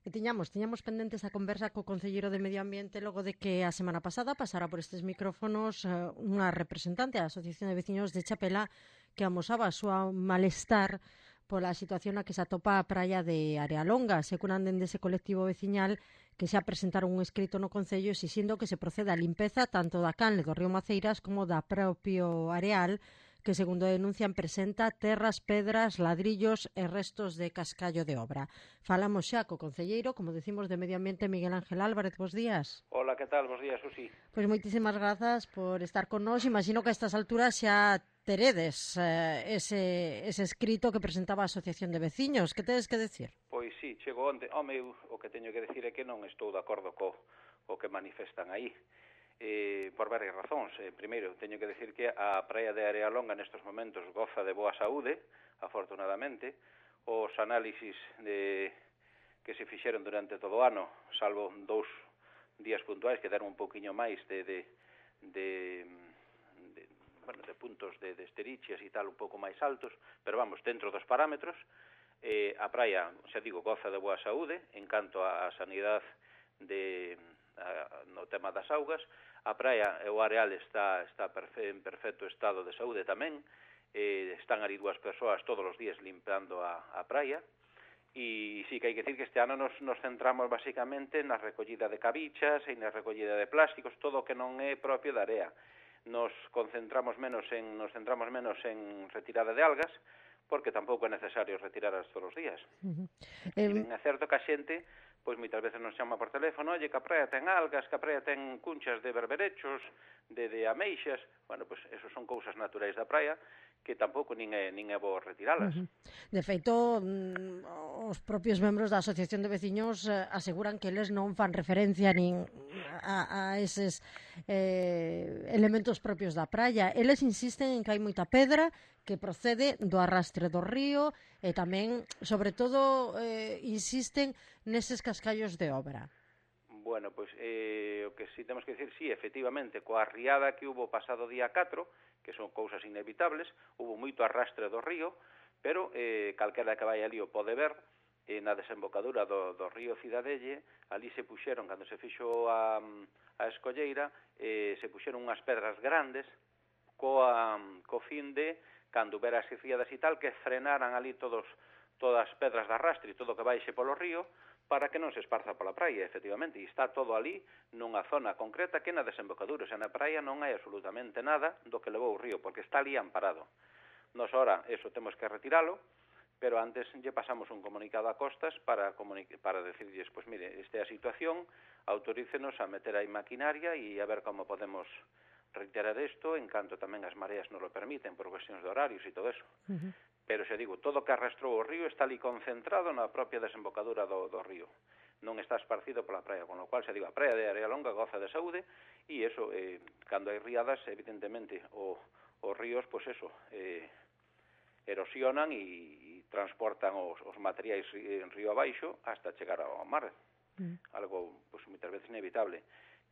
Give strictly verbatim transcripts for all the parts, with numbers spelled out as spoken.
E tiñamos, tiñamos pendentes a conversa co concelleiro de Medio Ambiente logo de que a semana pasada pasara por estes micrófonos uh, unha representante da Asociación de Veciños de Chapela que amosaba a súa malestar pola situación na que se atopa a praia de Arealonga. Securan dende ese colectivo veciñal que xa presentaron un escrito no Concello exixindo que se proceda a limpeza tanto da canle do río Maceiras como da propio areal, que, segundo denuncian, presenta terras, pedras, ladrillos e restos de cascallo de obra. Falamos xa co concelleiro, como decimos, de Medio Ambiente, Miguel Ángel Álvarez. Bos días. Hola, que tal? Bos días, Susi. Pois moitísimas grazas por estar con nós. Imagino que a estas alturas xa teredes eh, ese, ese escrito que presentaba a Asociación de Veciños. Que tedes que decir? Pois sí, chego onte. Home, eu, o que teño que decir é que non estou de acordo co, co que manifestan aí. Eh, por varias razóns. Eh, primeiro, teño que decir que a praia de Arealonga nestes momentos goza de boa saúde, afortunadamente. Os análisis de, que se fixeron durante todo o ano, salvo dous días puntuais que deron un pouquiño máis de, de, de, de, bueno, de puntos de, de esterichias e tal un pouco máis altos, pero vamos, dentro dos parámetros, eh, a praia, xa digo, goza de boa saúde en canto á sanidade de... no tema das augas. A praia e o areal está, está perfe, en perfecto estado de saúde tamén. Eh, están ali dúas persoas todos os días limpando a, a praia. E sí que hai que decir que este ano nos, nos centramos basicamente na recollida de cabichas e na recollida de plásticos, todo o que non é propio da area. Nos concentramos menos en, nos centramos menos en retirada de algas, porque tampouco é necesario retirarlas todos os días. Uh-huh. E ben, é certo que a xente pois moitas veces nos chama por teléfono, oye, que a praia ten algas, que a praia ten cunchas de berberechos, de, de ameixas. Bueno, pois esos son cousas naturais da praia que tampouco nin é, nin é bo retiralas. Uh-huh. De feito, os propios membros da Asociación de Veciños aseguran que eles non fan referencia nin a, a eses eh, elementos propios da praia. Eles insisten en que hai moita pedra que procede do arrastre do río e tamén, sobre todo, eh, insisten neses cascallos de obra. Bueno, pois eh, o que sí temos que decir, sí, efectivamente, coa riada que hubo pasado día catro, que son cousas inevitables, hubo moito arrastre do río, pero eh, calquera que vai ali o pode ver, eh, na desembocadura do, do río Cidadelle, ali se puxeron, cando se fixo a, a escolleira, eh, se puxeron unhas pedras grandes, coa, co fin de, cando hubiera as riadas e tal, que frenaran ali todos, todas as pedras de arrastre e todo que baixe polo río, para que non se esparza pola praia, efectivamente, e está todo ali nunha zona concreta que na desembocadura, xa na praia non hai absolutamente nada do que levou o río, porque está ali amparado. Nos ora, eso temos que retiralo, pero antes lle pasamos un comunicado a Costas para, para decirles, pois mire, esta é a situación, autorícenos a meter aí maquinaria e a ver como podemos reiterar isto, en canto tamén as mareas non lo permiten por cuestións de horarios e todo eso. Uh-huh. Pero, xa digo, todo o que arrastrou o río está ali concentrado na propia desembocadura do, do río. Non está esparcido pola praia, con lo cual, xa digo, a praia de Arealonga goza de saúde e eso, eh, cando hai riadas, evidentemente, o, os ríos, pois eso, eh, erosionan e, e transportan os, os materiais en río abaixo hasta chegar ao mar. Uh-huh. Algo, pois, moitas veces inevitable.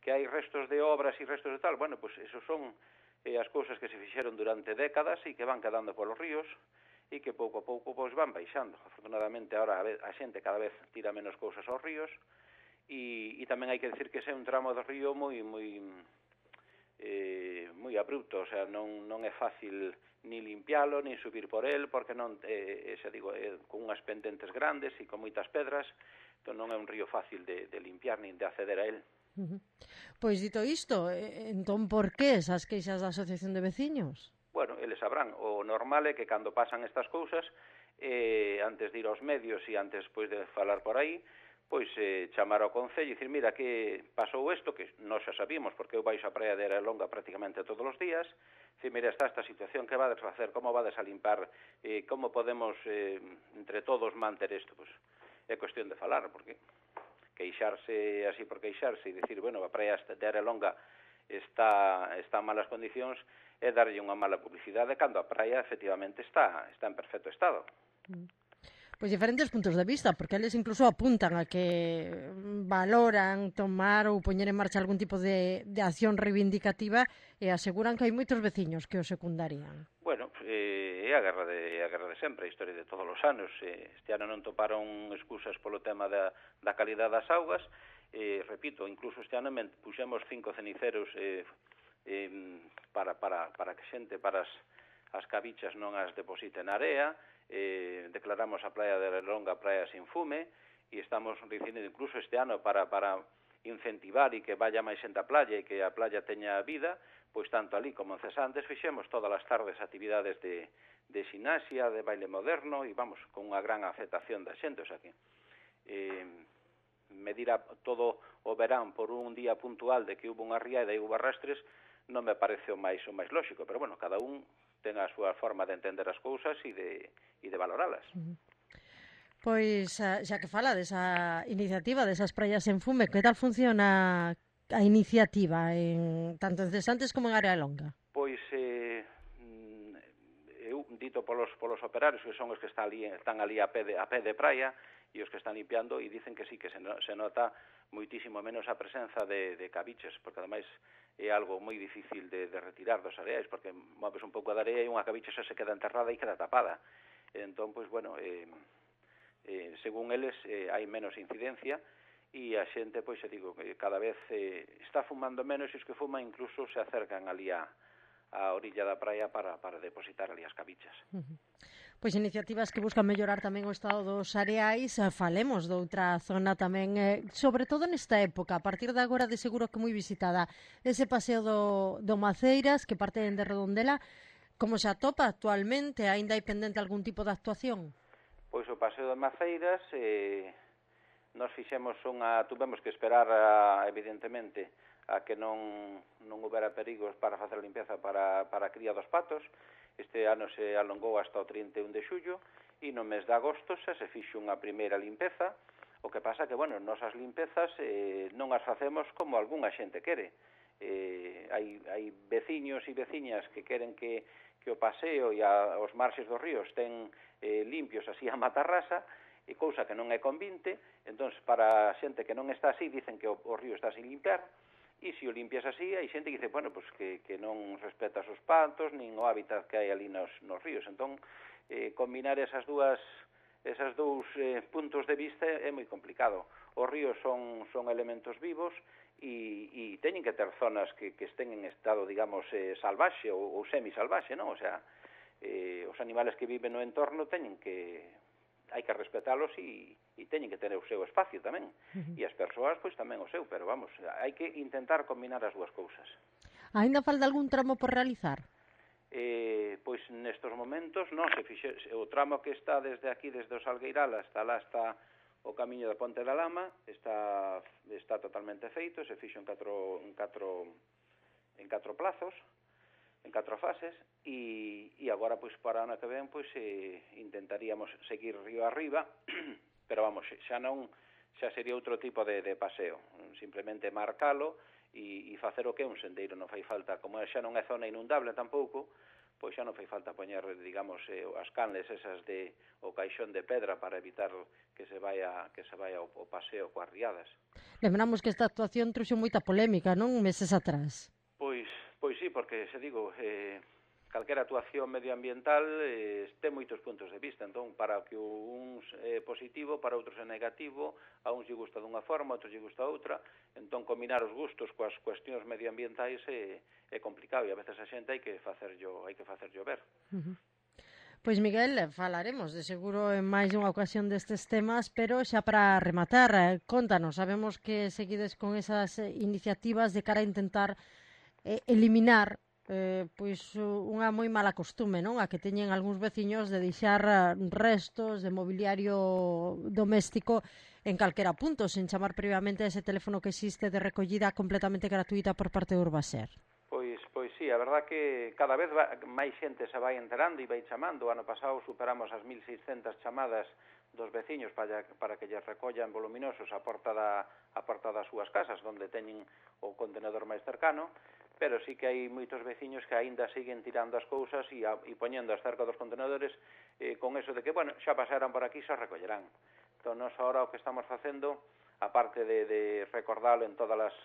Que hai restos de obras e restos de tal, bueno, pois esos son eh, as cousas que se fixeron durante décadas e que van quedando polos ríos e que pouco a pouco pois van baixando. Afortunadamente, agora a xente cada vez tira menos cousas aos ríos e, e tamén hai que decir que ese é un tramo do río moi moi eh, moi abrupto, o sea, non, non é fácil ni limpialo, ni subir por el, porque non, eh, xa digo, eh, con unhas pendentes grandes e con moitas pedras, entón non é un río fácil de, de limpiar nin de acceder a él. Uh-huh. Pois dito isto, entón por que esas queixas da Asociación de Veciños? Bueno, eles sabrán, o normal é que cando pasan estas cousas, eh, antes de ir aos medios e antes pois, de falar por aí, pois eh, chamar ao Concello e dicir, mira, que pasou isto, que nós xa sabíamos, porque eu baixo a praia de Arealonga prácticamente todos os días, dicir, mira, está esta situación, que vades facer, como vades a limpar, eh, como podemos eh, entre todos manter isto, pois é cuestión de falar, porque queixarse así por queixarse e dicir, bueno, a praia de Arealonga está, está en malas condicións é darlle unha mala publicidade cando a praia efectivamente está, está en perfecto estado. Pois diferentes puntos de vista, porque eles incluso apuntan a que valoran tomar ou poñer en marcha algún tipo de, de acción reivindicativa e aseguran que hai moitos veciños que o secundarían. Bueno, eh, é é a guerra de, a guerra de sempre, a historia de todos os anos. Este ano non toparon excusas polo tema da, da calidad das augas. Eh, repito, incluso este ano puxemos cinco ceniceros eh, eh, para, para, para que xente, para as, as cabichas non as deposite na area. Eh, declaramos a praia de Longa praia sin fume, e estamos dicindo incluso este ano para, para incentivar e que vaya máis xente á playa e que a playa teña vida, pois tanto ali como en Cesantes fixemos todas as tardes actividades de, de xinasia, de baile moderno, e vamos, con unha gran aceptación da xente. O sea que eh, medir a, todo o verán por un día puntual de que hubo unha riada e hubo arrastres non me parece o máis, o máis lóxico, pero bueno, cada un ten a súa forma de entender as cousas e de, e de valoralas. Uh-huh. Pois, xa que fala desa iniciativa, desas praias en fume, que tal funciona a iniciativa, en, tanto en Cesantes como en Área Longa? Pois, eh, eu, dito polos, polos operarios, que son os que están ali, están ali a pé de, a pé de praia, e os que están limpiando, e dicen que sí, que se, no, se nota moitísimo menos a presenza de, de cabiches, porque ademais é algo moi difícil de, de retirar dos areais, porque moves un pouco de area e unha cabicha xa se queda enterrada e queda tapada. Entón, pois, bueno, eh, eh, según eles, eh, hai menos incidencia, e a xente, pois, se digo, que cada vez eh, está fumando menos, e os que fuman incluso se acercan ali a, a orilla da praia para, para depositar ali as cabichas. Uh-huh. Pois iniciativas que buscan mellorar tamén o estado dos areais. Falemos doutra zona tamén, eh, sobre todo nesta época, a partir de agora de seguro que moi visitada, ese paseo do, do Maceiras, que parte de Redondela, como se atopa actualmente? Aínda hai pendente algún tipo de actuación? Pois o paseo de Maceiras, eh, nos fixemos unha, tuvemos que esperar, a, evidentemente, a que non, non houbera perigos para facer a limpeza para, para a cría dos patos. Este ano se alongou hasta o trinta e un de xullo, e no mes de agosto xa se fixo unha primeira limpeza. O que pasa que, bueno, nosas limpezas eh, non as facemos como algunha xente quere. Eh, hai, hai veciños e veciñas que queren que, que o paseo e a, os marxes dos ríos ten eh, limpios así a matarrasa, e cousa que non é convinte. Entón, para a xente que non está así, dicen que o, o río está sin limpiar, e se o limpias así, hai xente que dice, bueno, pues que, que non respeta os patos, nin o hábitat que hai ali nos, nos ríos. Entón, eh, combinar esas dúas, esas dous eh, puntos de vista é moi complicado. Os ríos son, son elementos vivos, e, e teñen que ter zonas que, que estén en estado, digamos, eh, salvaxe ou, ou semisalvaxe, non? O sea, eh, os animales que viven no entorno teñen que... hai que respetalos e, e teñen que ter o seu espacio tamén. Uh-huh. E as persoas, pois, tamén o seu, pero vamos, hai que intentar combinar as dúas cousas. Ainda falta algún tramo por realizar? Eh, pois nestos momentos non, se fixe, o tramo que está desde aquí, desde o Salgueiral hasta lá está o camiño da Ponte da Lama, está, está totalmente feito, se fixo en catro, en catro, en catro plazos, en catro fases, e, e agora, pois, para o ano que ven, pois, eh, intentaríamos seguir río arriba, pero, vamos, xa non, xa sería outro tipo de, de paseo, simplemente marcalo e, e facer o que é un sendeiro, non fai falta, como xa non é zona inundable tampouco, pois xa non fai falta poñer, digamos, eh, as canles esas de o caixón de pedra para evitar que se vaya que se vaya o, o paseo coas riadas. Lembramos que esta actuación trouxe moita polémica, non? Meses atrás. Pois, pois sí, porque, se digo, eh, calquera actuación medioambiental eh, ten moitos puntos de vista. Entón, para que uns é positivo, para outros é negativo, a uns lle gusta dunha forma, a outros lle gusta outra. Entón, combinar os gustos coas cuestións medioambientais é, é complicado, e a veces a xente hai que facerllo, hai que facerllo ver. Uh-huh. Pois, Miguel, falaremos de seguro en máis unha ocasión destes temas, pero xa para rematar, contanos, sabemos que seguides con esas iniciativas de cara a intentar eh, eliminar eh, pois unha moi mala costume, non? A que teñen algúns veciños de deixar restos de mobiliario doméstico en calquera punto, sen chamar previamente a ese teléfono que existe de recollida completamente gratuita por parte de Urbaser. Pois, pois sí, a verdad que cada vez va, máis xente se vai enterando e vai chamando. O ano pasado superamos as mil seiscentas chamadas dos veciños para, para que lles recollan voluminosos a porta, da, a porta das súas casas, onde teñen o contenedor máis cercano, pero sí que hai moitos veciños que aínda siguen tirando as cousas e, a, e poñendo as cerca dos contenedores eh, con eso de que, bueno, xa pasaran por aquí, xa recollerán. Entón, nos ahora o que estamos facendo, aparte de, de recordarlo en todas as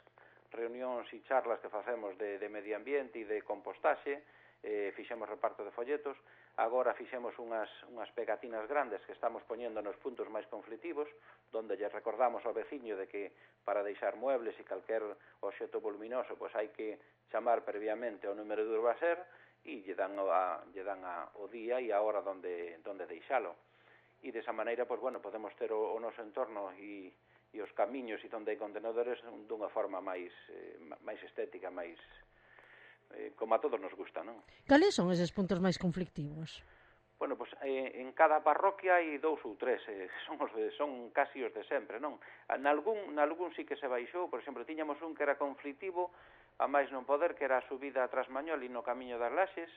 reunións e charlas que facemos de, de medio ambiente e de compostaxe, eh, fixemos reparto de folletos, agora fixemos unhas, unhas pegatinas grandes que estamos poñendo nos puntos máis conflitivos, donde lle recordamos ao veciño de que para deixar muebles e calquer obxeto voluminoso, pois hai que chamar previamente ao número de Urbaser e lle dan, a, lle dan a, o día e a hora donde, donde deixalo. E desa maneira, pois, bueno, podemos ter o, o noso entorno e, e os camiños e donde hai contenedores dunha forma máis, eh, máis estética, máis... Eh, como a todos nos gusta, non? Cales son eses puntos máis conflictivos? Bueno, pois eh, en cada parroquia hai dous ou tres, eh, son, os de, son casi os de sempre, non? Nalgún, nalgún sí que se baixou, por exemplo, tiñamos un que era conflictivo, a máis non poder, que era a subida a Trasmañol e no Camiño das Laxes,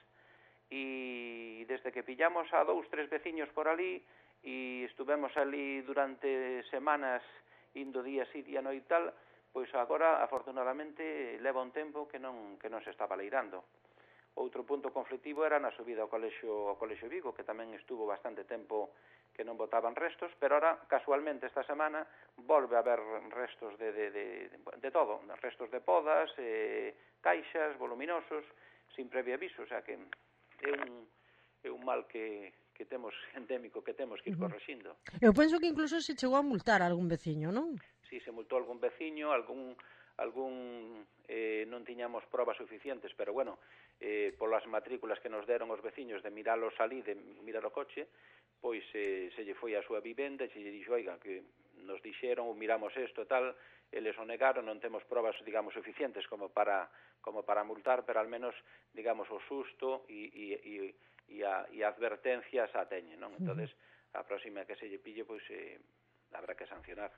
e desde que pillamos a dous, tres veciños por ali, e estuvemos ali durante semanas, indo día sí, día no e tal, pois agora, afortunadamente, leva un tempo que non, que non se está baleirando. Outro punto conflictivo era na subida ao colexio, ao colexio Vigo, que tamén estuvo bastante tempo que non botaban restos, pero ahora, casualmente, esta semana, volve a haber restos de, de, de, de todo, restos de podas, eh, caixas, voluminosos, sin previo aviso, o sea que é un, é un mal que, que temos endémico, que temos que ir correxindo. Eu penso que incluso se chegou a multar a algún veciño, non? Si se multou algún veciño, algún algún eh, non tiñamos probas suficientes, pero bueno, eh, polas matrículas que nos deron os veciños de miralo salí, de mirar o coche, pois eh, se lle foi a súa vivenda e se lle dixo, oiga, que nos dixeron, miramos isto e tal, eles o negaron, non temos probas, digamos, suficientes como para como para multar, pero al menos, digamos, o susto e, e, e, e, a, e a advertencia xa teñen, non? Entonces, a próxima que se lle pille, pois eh, habrá que sancionar.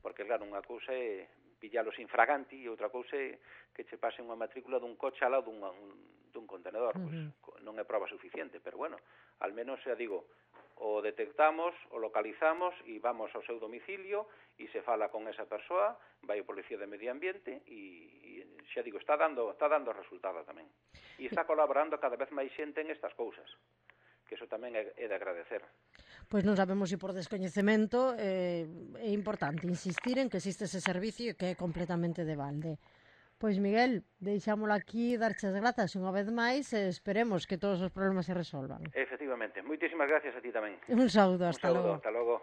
Porque, claro, unha cousa é pillalos infraganti e outra cousa é que che pase unha matrícula dun coche ao lado dun, dun contenedor. Uh -huh. Pois non é prova suficiente, pero bueno, al menos, xa digo, o detectamos, o localizamos e vamos ao seu domicilio e se fala con esa persoa, vai o Policía de Medio Ambiente e, e xa digo, está dando, está dando resultado tamén. E está colaborando cada vez máis xente en estas cousas, que eso tamén é, é de agradecer. Pois non sabemos se por descoñecemento eh, é importante insistir en que existe ese servicio e que é completamente de balde. Pois Miguel, deixámolo aquí, darche as grazas unha vez máis e esperemos que todos os problemas se resolvan. Efectivamente, moitísimas gracias a ti tamén. Un saúdo, hasta logo. Un saúdo, logo. hasta logo.